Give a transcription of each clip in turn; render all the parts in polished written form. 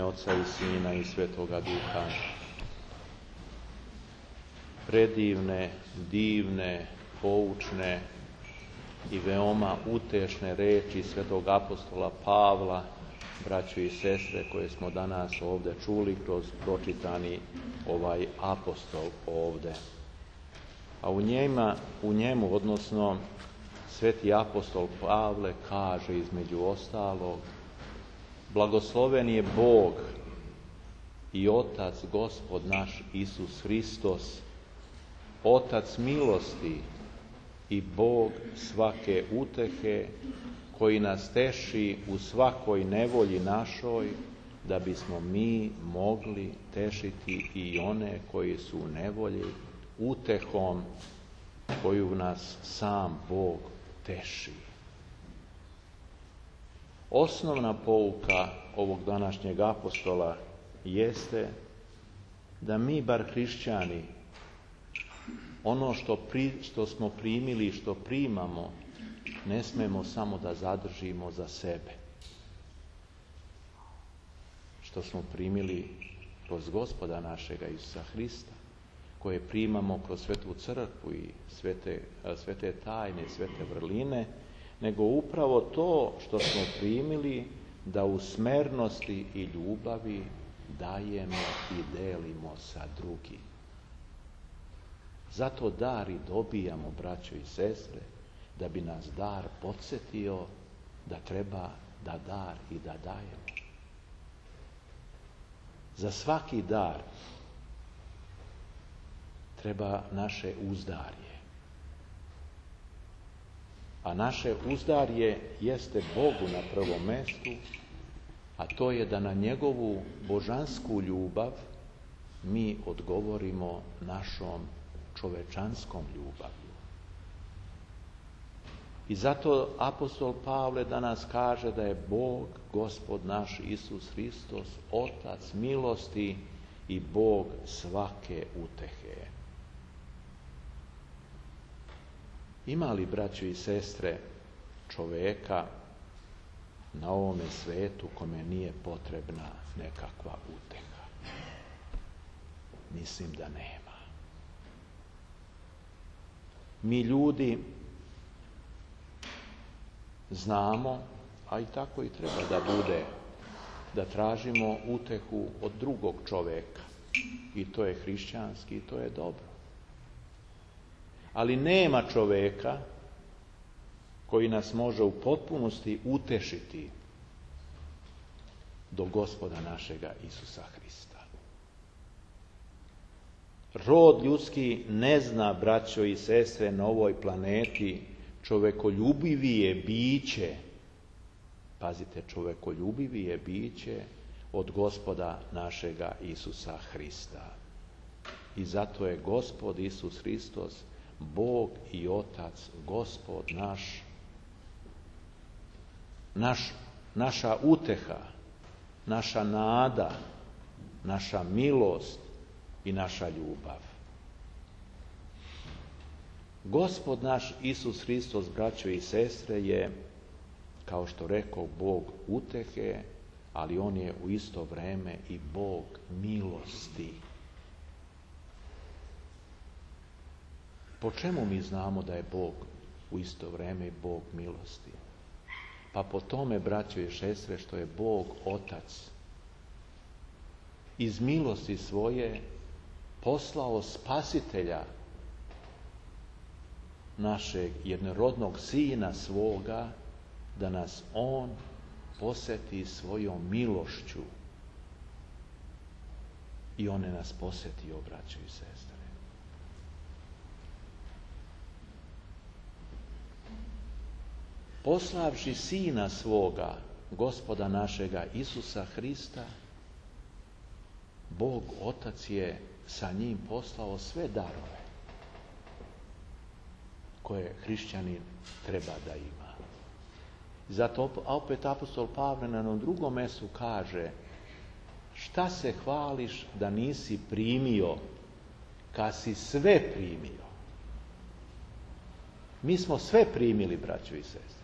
Oca i Sina i Svetoga Duha. Predivne, divne, poučne i veoma utešne reči svetog apostola Pavla, braćo i sestre, koje smo danas ovdje čuli kroz pročitani ovaj apostol ovdje. A u njemu, odnosno sveti apostol Pavle kaže između ostalog: blagosloven je Bog i Otac Gospod naš Isus Hristos, Otac milosti i Bog svake utehe, koji nas teši u svakoj nevolji našoj, da bismo mi mogli tešiti i one koji su u nevolji utehom koju nas sam Bog teši. Osnovna pouka ovog današnjeg apostola jeste da mi, bar hrišćani, ono što smo primili i što primamo, ne smemo samo da zadržimo za sebe. Što smo primili kroz Gospoda našega Isusa Hrista, koje primamo kroz Svetu crkvu i svete tajne, svete vrline, nego upravo to što smo primili da u smernosti i ljubavi dajemo i delimo sa drugim. Zato dar i dobijamo, braćo i sestre, da bi nas dar podsjetio da treba da dar i da dajemo. Za svaki dar treba naše uzdarje. A naše uzdarje jeste Bogu na prvom mestu, a to je da na njegovu božansku ljubav mi odgovorimo našom čovečanskom ljubavlju. I zato apostol Pavle danas kaže da je Bog, Gospod naš Isus Hristos, Otac milosti i Bog svake utehe. Ima li, braćo i sestre, čoveka na ovome svetu kome nije potrebna nekakva uteha? Mislim da nema. Mi ljudi znamo, a i tako i treba da bude, da tražimo utehu od drugog čoveka. I to je hrišćanski, i to je dobro. Ali nema čoveka koji nas može u potpunosti utešiti do Gospoda našega Isusa Hrista. Rod ljudski ne zna, braćo i sestre, na ovoj planeti čovekoljubivije biće, pazite, čovekoljubivije biće od Gospoda našega Isusa Hrista. I zato je Gospod Isus Hristos Bog i Otac, Gospod naša uteha, naša nada, naša milost i naša ljubav. Gospod naš Isus Hristos, braćo i sestre, je, kao što rekao, Bog utehe, ali on je u isto vreme i Bog milosti. Po čemu mi znamo da je Bog u isto vreme i Bog milosti? Pa po tome, braćo i sestre, što je Bog Otac iz milosti svoje poslao Spasitelja, našeg jednorodnog Sina svoga, da nas on posjeti svojom milošću. I on je nas posjetio, braćo i sestre. Poslavši Sina svoga, Gospoda našega Isusa Hrista, Bog Otac je sa njim poslao sve darove koje hrišćanin treba da ima. Zato opet apostol Pavle na jednom drugom mjestu kaže: šta se hvališ da nisi primio, kad si sve primio? Mi smo sve primili, braćo i sestre.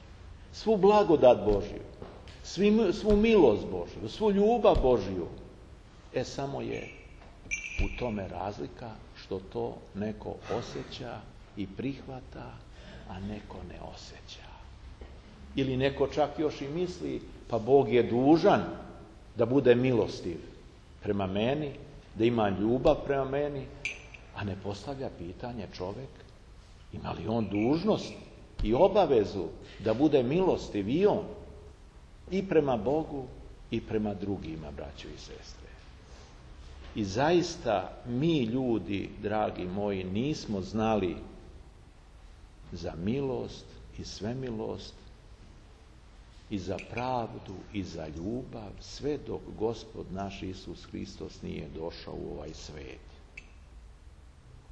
Svu blagodat Božju. svu milost Božju, svu ljubav Božju. Samo je u tome razlika što to neko osjeća i prihvata, a neko ne osjeća. Ili neko čak još i misli, pa Bog je dužan da bude milostiv prema meni, da ima ljubav prema meni, a ne postavlja pitanje čovjek, ima li on dužnost i obavezu da bude milostiv i on, i prema Bogu i prema drugima, braćo i sestre. I zaista mi ljudi, dragi moji, nismo znali za milost i svemilost i za pravdu i za ljubav sve dok Gospod naš Isus Hristos nije došao u ovaj svijet.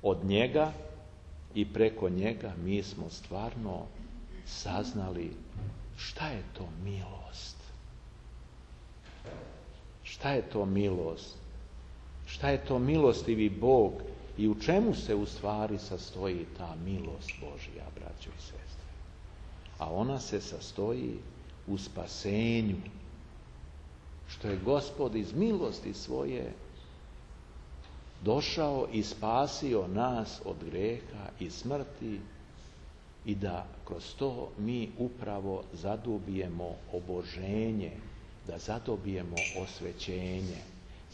Od njega i preko njega mi smo stvarno saznali šta je to milost. Šta je to milost? Šta je to milostivi Bog i u čemu se u stvari sastoji ta milost Božja, braćo i sestre? A ona se sastoji u spasenju, što je Gospod iz milosti svoje došao i spasio nas od grijeha i smrti i da kroz to mi upravo zadobijemo oboženje, da zadobijemo osvećenje.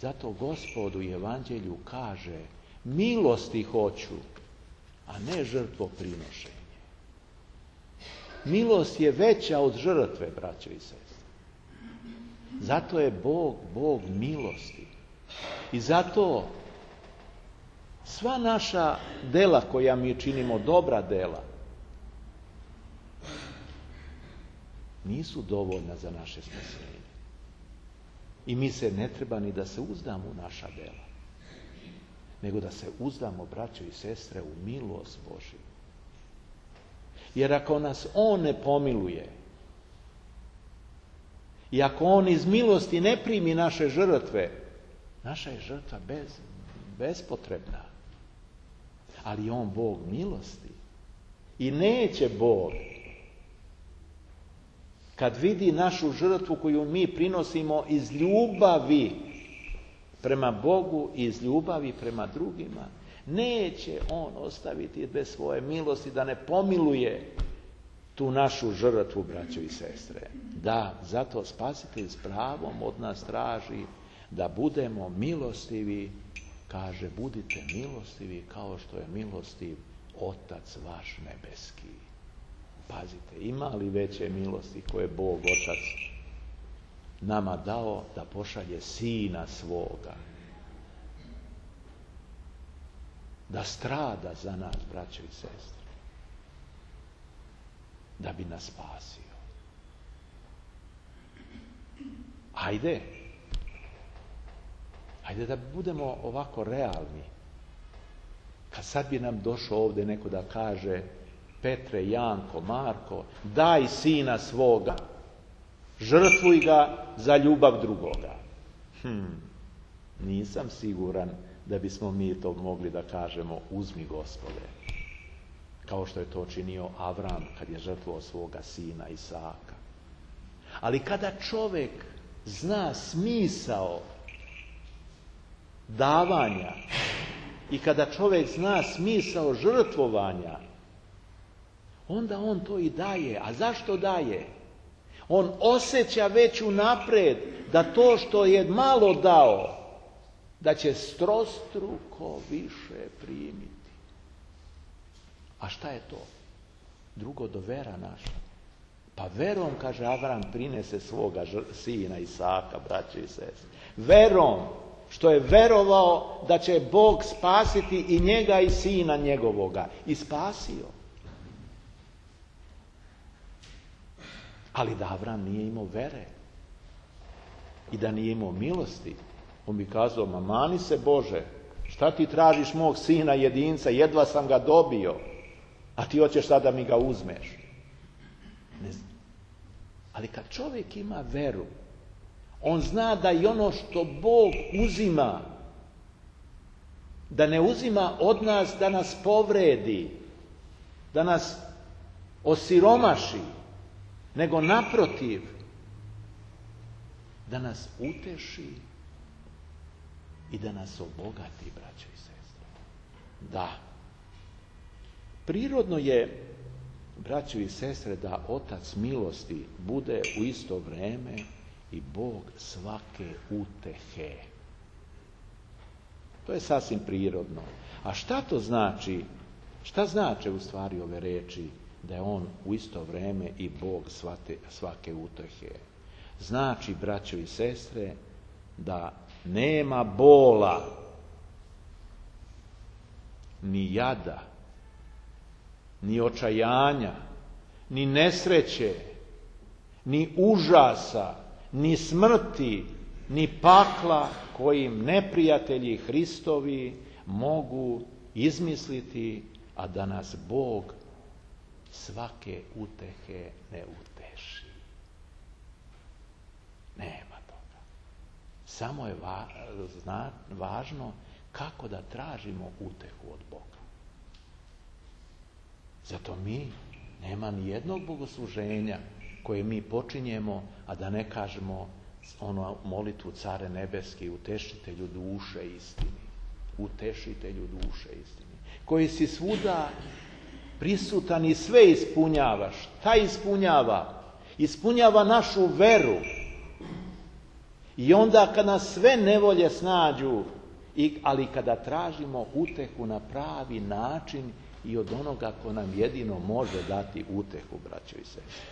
Zato Gospod u Evanđelju kaže, milosti hoću, a ne žrtvoprinošenje. Milost je veća od žrtve, braćo i sestre. Zato je Bog milosti. I zato sva naša dela koja mi činimo, dobra dela, nisu dovoljna za naše spasenje. I mi se ne treba ni da se uzdamo u naša dela, nego da se uzdamo, braćo i sestre, u milost Božju. Jer ako nas On ne pomiluje i ako On iz milosti ne primi naše žrtve, naša je žrtva bespotrebna. Ali On Bog milosti. I neće Bog, kad vidi našu žrtvu koju mi prinosimo iz ljubavi prema Bogu i iz ljubavi prema drugima, neće On ostaviti bez svoje milosti da ne pomiluje tu našu žrtvu, braćo i sestre. Da, zato Spasitelj s pravom od nas traži da budemo milostivi. Kaže, budite milostivi kao što je milostiv Otac vaš nebeski. Pazite, ima li veće milosti koje Bog Otac nama dao da pošalje Sina svoga, da strada za nas, braćo i sestre, da bi nas spasio. Ajde da budemo ovako realni. Kad sad bi nam došao ovdje neko da kaže, Petre, Janko, Marko, daj Sina svoga, žrtvuj ga za ljubav drugoga. Nisam siguran da bismo mi to mogli da kažemo, uzmi Gospode, kao što je to činio Avram kad je žrtvovao svoga sina Isaka. Ali kada čovjek zna smisao davanja i kada čovjek zna smisao žrtvovanja, onda on to i daje. A zašto daje? On osjeća već unaprijed da to što je malo dao, da će strostruko više primiti. A šta je to? Drugo do vera naša. Pa verom, kaže Avram, prinese svoga sina Isaka, braće i sestre. Verom, što je verovao da će Bog spasiti i njega i sina njegovoga. I spasio. Ali da Avram nije imao vere i da nije imao milosti, on bi kazao, ma mani se Bože, šta ti tražiš mog sina jedinca, jedva sam ga dobio, a ti hoćeš sad da mi ga uzmeš. Ne znam. Ali kad čovjek ima veru, on zna da i ono što Bog uzima, da ne uzima od nas da nas povredi, da nas osiromaši, nego naprotiv, da nas uteši i da nas obogati, braćo i sestre. Da. Prirodno je, braćo i sestre, da Otac milosti bude u isto vrijeme i Bog svake utehe. To je sasvim prirodno. A šta to znači? Šta znače u stvari ove riječi da je on u isto vrijeme i Bog svake utehe? Znači, braćo i sestre, da nema bola, ni jada, ni očajanja, ni nesreće, ni užasa, ni smrti, ni pakla kojim neprijatelji Hristovi mogu izmisliti, a da nas Bog svake utehe ne uteši. Nema toga. Samo je važno kako da tražimo utehu od Boga. Zato mi nema ni jednog bogosluženja koje mi počinjemo, a da ne kažemo molitvu Care nebeski, utešitelju duše istini. Utešitelju duše istini. Koji si svuda prisutan i sve ispunjavaš. Šta ispunjava? Ispunjava našu veru. I onda kad nas sve nevolje snađu, ali kada tražimo utehu na pravi način i od onoga ko nam jedino može dati utehu, braćo i sestre.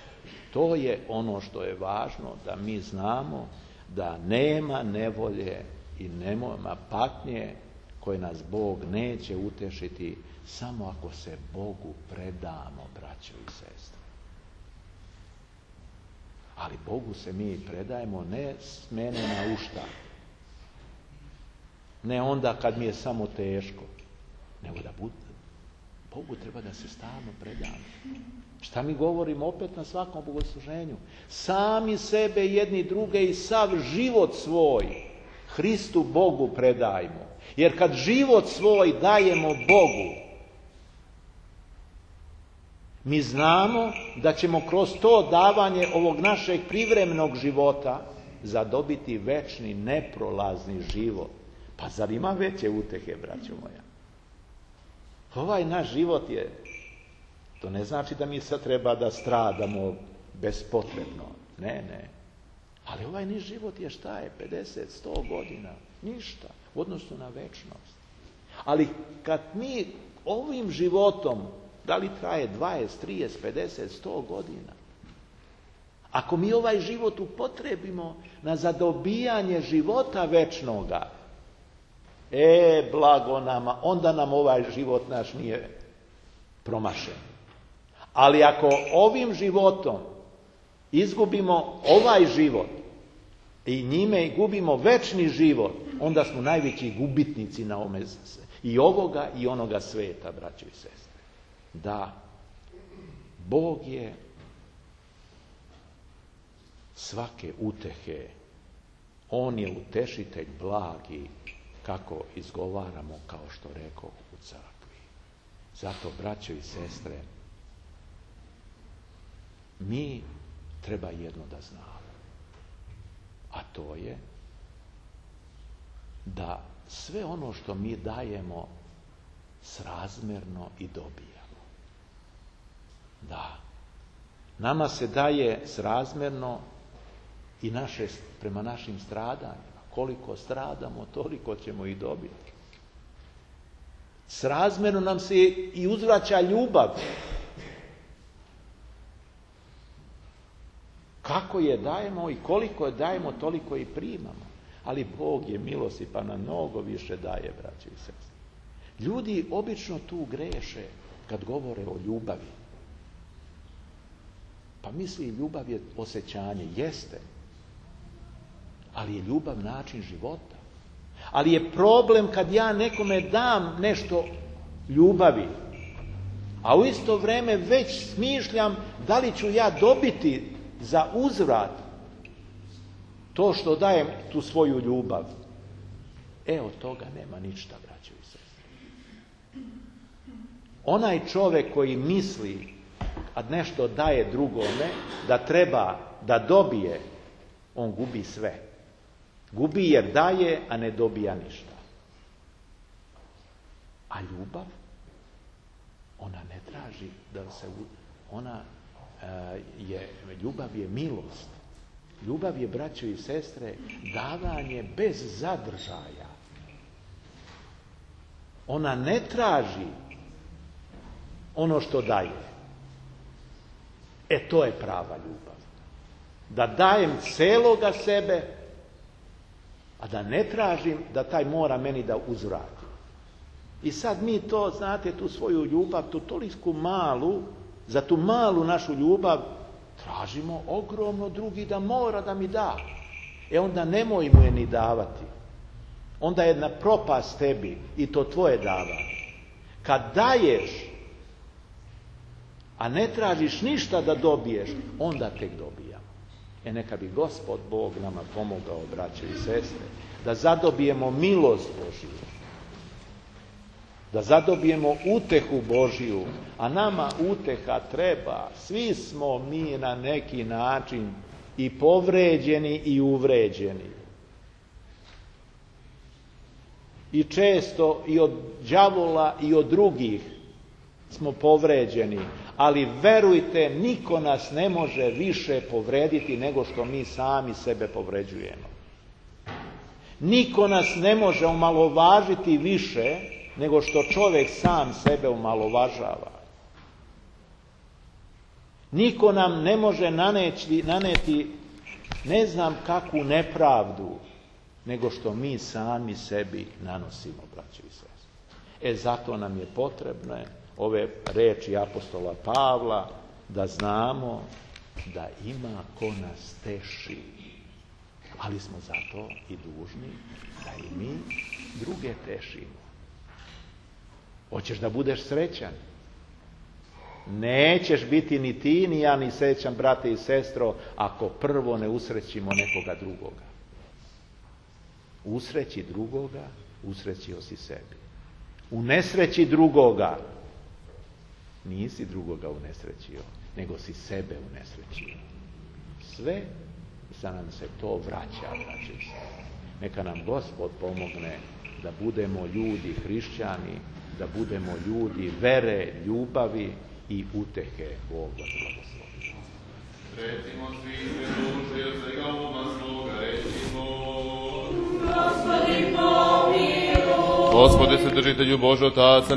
To je ono što je važno, da mi znamo da nema nevolje i nema patnje koje nas Bog neće utešiti samo ako se Bogu predamo, braćo i sestre. Ali Bogu se mi predajemo ne s mene na ušta, ne onda kad mi je samo teško, nego da Bogu treba da se stalno predamo. Šta mi govorimo opet na svakom bogosluženju? Sami sebe, jedni druge i sav život svoj Hristu Bogu predajmo. Jer kad život svoj dajemo Bogu, mi znamo da ćemo kroz to davanje ovog našeg privremenog života zadobiti večni, neprolazni život. Pa zar ima veće utehe, braćo moja? Ovaj naš život je, to ne znači da mi sad treba da stradamo bespotrebno. Ne. Ali ovaj niš život je šta je? 50, 100 godina. Ništa u odnosu na večnost. Ali kad mi ovim životom, da li traje 20, 30, 50, 100 godina, ako mi ovaj život upotrebimo na zadobijanje života večnoga, blago nama, onda nam ovaj život naš nije promašen. Ali ako ovim životom izgubimo ovaj život i njime gubimo večni život, onda smo najveći gubitnici na ovome, i ovoga i onoga sveta, braćo i sestre. Da, Bog je svake utehe. On je utešitelj blagi, kako izgovaramo, kao što rekao, u crkvi. Zato, braćo i sestre, mi treba jedno da znamo. A to je da sve ono što mi dajemo srazmjerno i dobijamo. Da. Nama se daje srazmjerno i prema našim stradanjima. Koliko stradamo, toliko ćemo i dobiti. Srazmjerno nam se i uzvraća ljubav. Kako je dajemo i koliko je dajemo, toliko i primamo. Ali Bog je milosti pa nam mnogo više daje, braći i sestre. Ljudi obično tu greše kad govore o ljubavi. Pa misli, ljubav je osjećanje, jeste. Ali je ljubav način života. Ali je problem kad ja nekome dam nešto ljubavi, a u isto vrijeme već smišljam da li ću ja dobiti za uzvrat to što dajem tu svoju ljubav. Od toga nema ništa, braćo i sestre. Onaj čovjek koji misli, a nešto daje drugome, da treba da dobije on gubi sve. Gubi jer daje, a ne dobija ništa. A ljubav, ona ne traži da se... Ljubav je milost. Ljubav je, braćo i sestre, davanje bez zadržaja. Ona ne traži ono što daje. To je prava ljubav. Da dajem celoga sebe, a da ne tražim da taj mora meni da uzvrati. I sad mi to, znate, tu svoju ljubav, tu toliku malu, za tu malu našu ljubav tražimo ogromno drugi da mora da mi da. Onda nemoj mu je ni davati. Onda je jedna propast tebi i to tvoje davanje. Kad daješ, a ne tražiš ništa da dobiješ, onda tek dobijamo. Neka bi Gospod Bog nama pomogao, braće i sestre, da zadobijemo milost Božiju, da zadobijemo utehu Božiju, a nama uteha treba. Svi smo mi na neki način i povređeni i uvređeni. I često i od đavola i od drugih smo povređeni, ali verujte, niko nas ne može više povrediti nego što mi sami sebe povređujemo. Niko nas ne može omalovažiti više nego što čovjek sam sebe omalovažava. Niko nam ne može naneti ne znam kakvu nepravdu nego što mi sami sebi nanosimo, braćo i sestre. Zato nam je potrebno ove reči apostola Pavla, da znamo da ima ko nas teši, ali smo zato i dužni da i mi druge tešimo. Hoćeš da budeš srećan? Nećeš biti ni ti, ni ja, ni srećan, brate i sestro, ako prvo ne usrećimo nekoga drugoga. Usreći drugoga, usrećio si sebi. U nesreći drugoga, nisi drugoga unesrećio, nego si sebe unesrećio. Sve sa nam se to vraća, braće i sestre. Neka nam Gospod pomogne da budemo ljudi hrišćani, da budemo ljudi vere, ljubavi i utehe. Bog vas blagoslovi. Recimo svi sve duše, svega uma svoga, recimo. Gospodi pomiluj. Gospode, Svetržitelju Božji, Otaca